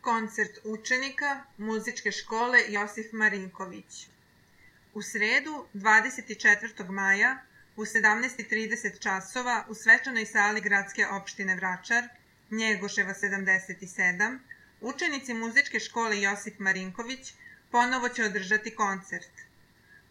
Koncert učenika Muzičke škole Josif Marinković. U sredu, 24. maja, u 17:30 časova u svečanoj sali Gradske opštine Vračar, Njegoševa 77, učenici Muzičke škole Josif Marinković ponovo će održati koncert.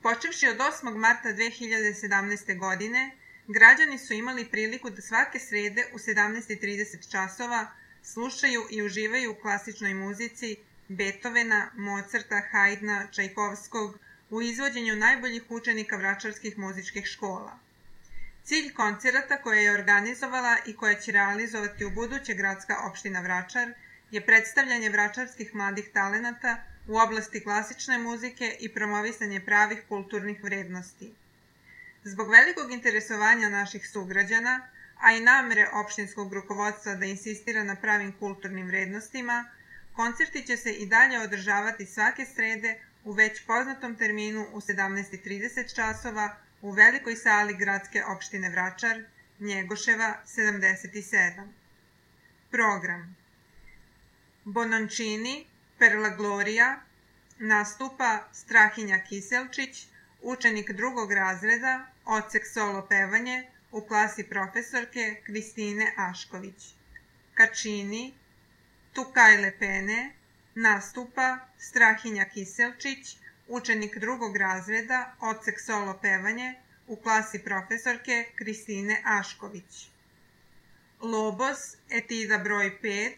Počevši od 8. marta 2017. godine, građani su imali priliku da svake srede u 17:30 časova slušaju i uživaju u klasičnoj muzici Beethovena, Mozarta, Haydna, Čajkovskog u izvođenju najboljih učenika vračarskih muzičkih škola. Cilj koncerata koje je organizovala i koja će realizovati u buduće Gradska opština Vračar je predstavljanje vračarskih mladih talenata u oblasti klasične muzike i promovisanje pravih kulturnih vrednosti. Zbog velikog interesovanja naših sugrađana, a i namere opštinskog rukovodstva da insistira na pravim kulturnim vrednostima, koncerti će se i dalje održavati svake srede u već poznatom terminu u 17:30 časova u velikoj sali Gradske opštine Vračar, Njegoševa 77. Program: Bononcini, Per la Gloria, nastupa Strahinja Kiselčić, učenik drugog razreda, odsek solo pevanje, u klasi profesorke Kristine Ašković. Kačini, Tu Kajle Pene, nastupa Strahinja Kiselčić, učenik drugog razreda, odsek solo pevanje, u klasi profesorke Kristine Ašković. Lobos, etida broj 5,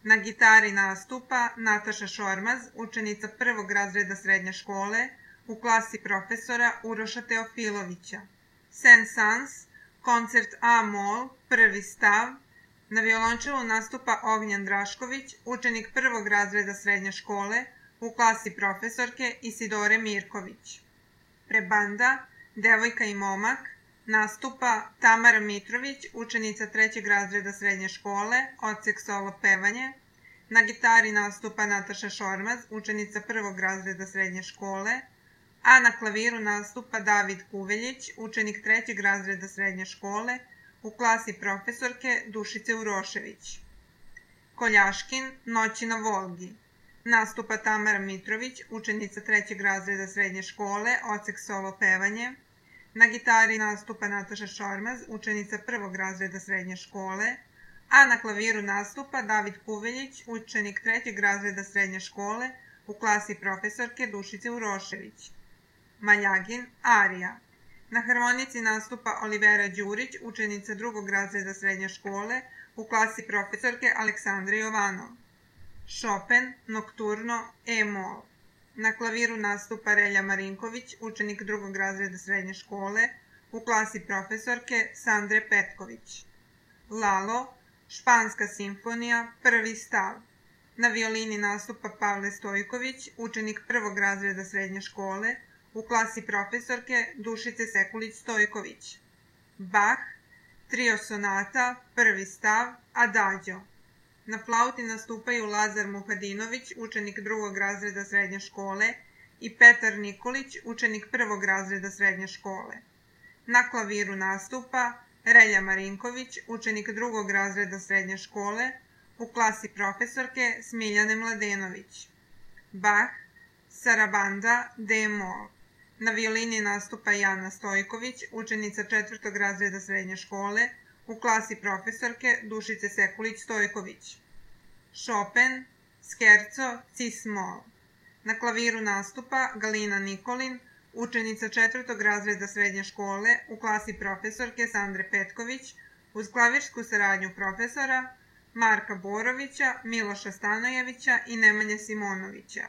na gitari nastupa Nataša Šormaz, učenica prvog razreda srednje škole, u klasi profesora Uroša Teofilovića. Saint-Saëns, koncert A-mol, prvi stav, na violončelu nastupa Ognjan Drašković, učenik prvog razreda srednje škole, u klasi profesorke Isidore Mirković. Prebanda, Devojka i momak, nastupa Tamara Mitrović, učenica trećeg razreda srednje škole, odsek solo pevanje. Na gitari nastupa Nataša Šormaz, učenica prvog razreda srednje škole, a na klaviru nastupa David Kuveljić, učenik trećeg razreda srednje škole, u klasi profesorke Dušice Urošević. Koljaškin, Noći na Volgi, nastupa Tamara Mitrović, učenica trećeg razreda srednje škole, odsek solo pevanje. Na gitari nastupa Nataša Šormaz, učenica prvog razreda srednje škole, a na klaviru nastupa David Kuveljić, učenik trećeg razreda srednje škole, u klasi profesorke Dušice Urošević. Maljagin, arija. Na harmonici nastupa Olivera Đurić, učenica drugog razreda srednje škole, u klasi profesorke Aleksandre Jovanov. Chopin, nokturno, E-mol. Na klaviru nastupa Relja Marinković, učenik drugog razreda srednje škole, u klasi profesorke Sandre Petković. Lalo, španska simfonija, prvi stav. Na violini nastupa Pavle Stojković, učenik prvog razreda srednje škole, u klasi profesorke Dušice Sekulić-Stojković. Bach, trio sonata, prvi stav, Adagio. Na flauti nastupaju Lazar Muhadinović, učenik drugog razreda srednje škole, i Petar Nikolić, učenik prvog razreda srednje škole. Na klaviru nastupa Relja Marinković, učenik drugog razreda srednje škole, u klasi profesorke Smiljane Mladenović. Bach, Sarabanda, D-mol. Na violini nastupa Jana Stojković, učenica četvrtog razreda srednje škole, u klasi profesorke Dušice Sekulić-Stojković. Chopin, Scherzo, Cis-mol. Na klaviru nastupa Galina Nikolin, učenica četvrtog razreda srednje škole, u klasi profesorke Sandre Petković, uz klavirsku saradnju profesora Marka Borovića, Miloša Stanojevića i Nemanje Simonovića.